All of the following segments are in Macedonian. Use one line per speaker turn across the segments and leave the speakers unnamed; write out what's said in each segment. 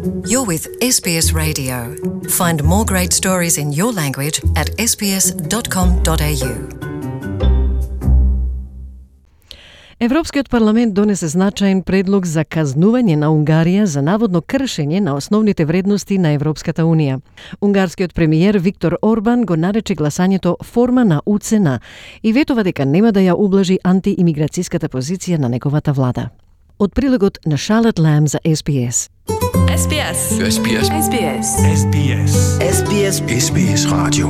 You're with SBS Radio. Find more great stories in your language at sbs.com.au.
Европскиот парламент донесе значаен предлог за казнување на Унгарија за наводно кршење на основните вредности на Европската Унија. Унгарскиот премиер Виктор Орбан го нарече гласањето форма на уцена и ветува дека нема да ја ублажи антиимиграцијската позиција на неговата влада. Од прилогот на Charlotte Lamb за SBS.
SBS.
SBS.
SBS.
SBS.
SBS.
SBS Radio.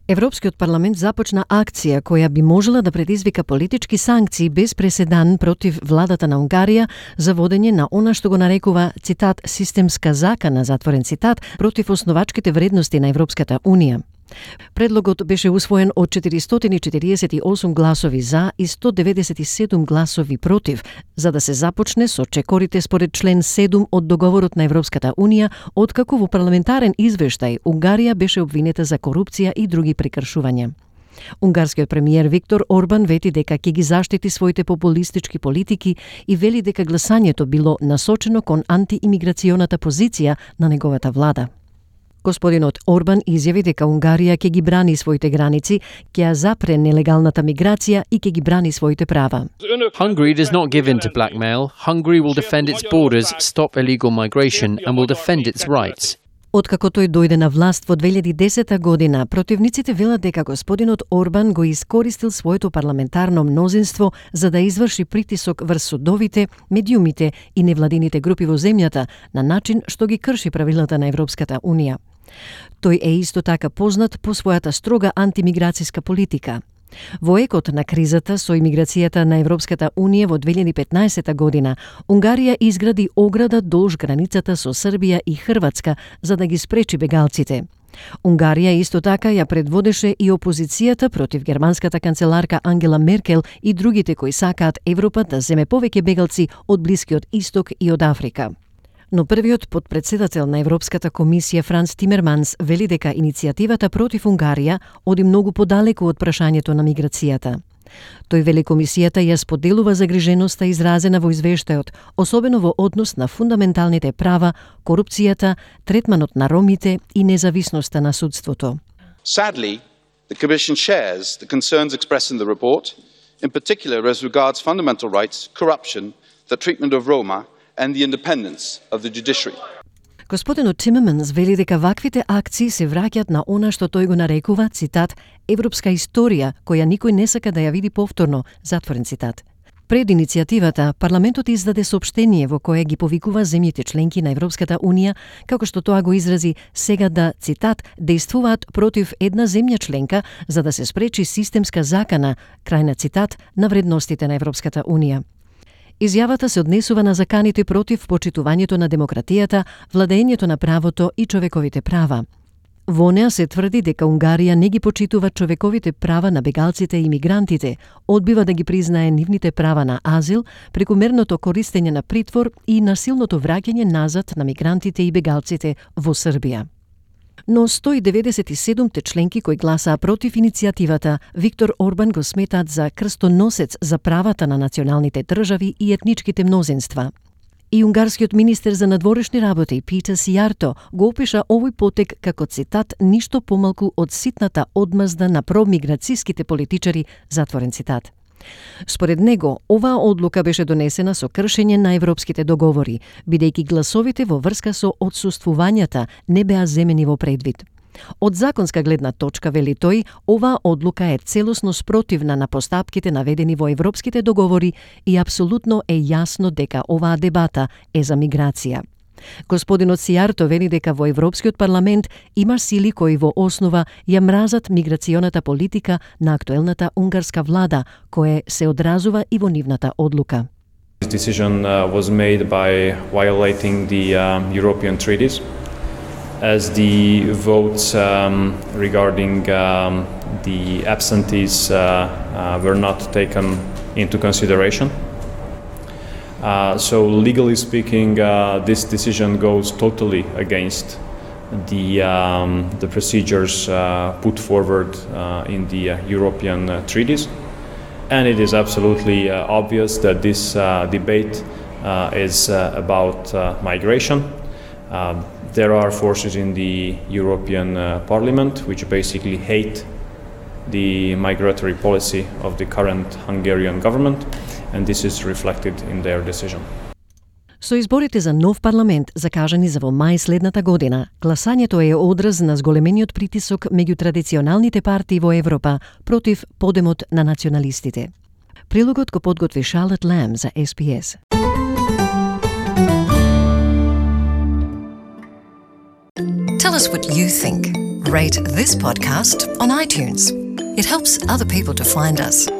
Европскиот парламент започна акција која би можела да предизвика политички санкции без преседан против владата на Унгарија за водење на она што го нарекува, цитат, системска закана, затворен цитат, против основачките вредности на Европската Унија. Предлогот беше усвоен од 448 гласови за и 197 гласови против, за да се започне со чекорите според член 7 од договорот на Европската Унија, откако во парламентарен извештај Унгарија беше обвинета за корупција и други прекршувања. Унгарскиот премиер Виктор Орбан вети дека ќе ги заштити своите популистички политики и вели дека гласањето било насочено кон антиимиграционата позиција на неговата влада. Господинот Орбан изјави дека Унгарија ќе ги брани своите граници, ќе ја запре нелегалната миграција и ќе ги брани своите права.
Hungary does not give in to blackmail. Hungary will defend its borders, stop illegal migration and will defend its rights.
Откако тој дојде на власт во 2010 година, противниците велат дека господинот Орбан го искористил своето парламентарно мнозинство за да изврши притисок врз судовите, медиумите и невладините групи во земјата на начин што ги крши правилата на Европската Унија. Тој е исто така познат по својата строга антимиграцијска политика. Во екот на кризата со имиграцијата на Европската Унија во 2015 година, Унгарија изгради ограда долж границата со Србија и Хрватска за да ги спречи бегалците. Унгарија исто така ја предводеше и опозицијата против германската канцеларка Ангела Меркел и другите кои сакаат Европа да земе повеќе бегалци од Блискиот Исток и од Африка. Но првиот подпредседател на Европската комисија Франц Тимерманс вели дека иницијативата против Унгарија оди многу подалеку од прашањето на миграцијата. Тој вели комисијата ја споделува загриженоста изразена во извештајот, особено во однос на фундаменталните права, корупцијата, третманот на ромите и независноста на судството.
Sadly, the Commission shares the concerns expressed in the report, in particular as regards fundamental rights, corruption, the treatment of Roma and the independence of the judiciary.
Господинот Тимерманс вели дека ваквите акции се враќаат на она што тој го нарекува, цитат, европска историја која никој не сака да ја види повторно, затворен цитат. Пред иницијативата, парламентот издаде соопштение во кое ги повикува земјите членки на Европската Унија, како што тоа го изрази, сега да, цитат, действуваат против една земја членка за да се спречи системска закана, крај на цитат, на вредностите на Европската Унија. Изјавата се однесува на заканите против почитувањето на демократијата, владењето на правото и човековите права. Во неа се тврди дека Унгарија не ги почитува човековите права на бегалците и мигрантите, одбива да ги признае нивните права на азил, прекумерното користење на притвор и насилното враќање назад на мигрантите и бегалците во Србија. Но 197 членки кои гласаа против иницијативата, Виктор Орбан го сметаат за крстоносец за правата на националните држави и етничките мнозинства. И унгарскиот министер за надворешни работи Питер Сијарто го опиша овој потек како, цитат, ништо помалку од ситната одмазда на промиграцијските политичари, затворен цитат. Според него, оваа одлука беше донесена со кршење на европските договори, бидејќи гласовите во врска со отсуствувањата не беа земени во предвид. Од законска гледна точка, вели тој, оваа одлука е целосно спротивна на постапките наведени во европските договори и апсолутно е јасно дека оваа дебата е за миграција. Господинот Сијарто вели дека во Европскиот парламент има сили кои во основа ја мразат миграционата политика на актуелната унгарска влада, кое се одразува и во нивната одлука.
This decision was made by violating the European treaties, as the votes regarding the absentees were not taken into consideration. So legally speaking, this decision goes totally against the procedures put forward in the European treaties, and it is absolutely obvious that this debate is about migration. There are forces in the European Parliament which basically hate the migratory policy of the current Hungarian government, and this is reflected in their decision.
Со изборите за нов парламент закажани за во мај следната година, гласањето е одраз на зголемениот притисок меѓу традиционалните партии во Европа против подемот на националистите. Прилогот го подготви Charlotte Lamb за SBS.
Tell us what you think. Rate this podcast on iTunes. It helps other people to find us.